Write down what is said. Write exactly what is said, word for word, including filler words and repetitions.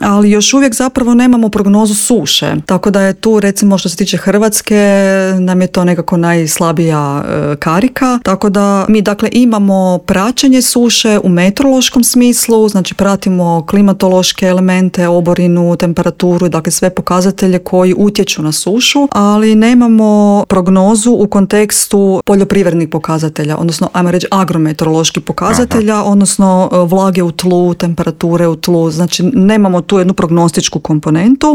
ali još uvijek zapravo nemamo prognozu suše. Tako da je tu, recimo što se tiče Hrvatske, nam je to nekako najslabija e, karika. Tako da mi dakle imamo praćenje suše u meteorološkom smislu, znači pratimo klimatološke elemente, oborinu, temperaturu, dakle sve pokazatelje koji utječu na sušu, ali nemamo prognozu u kontekstu poljoprivrednih pokazatelja, odnosno ajmo reći agrometeoroloških pokazatelja, Aha. odnosno vlage u tlu, temperature u tlu, znači nemamo tu jednu prognostičku komponentu.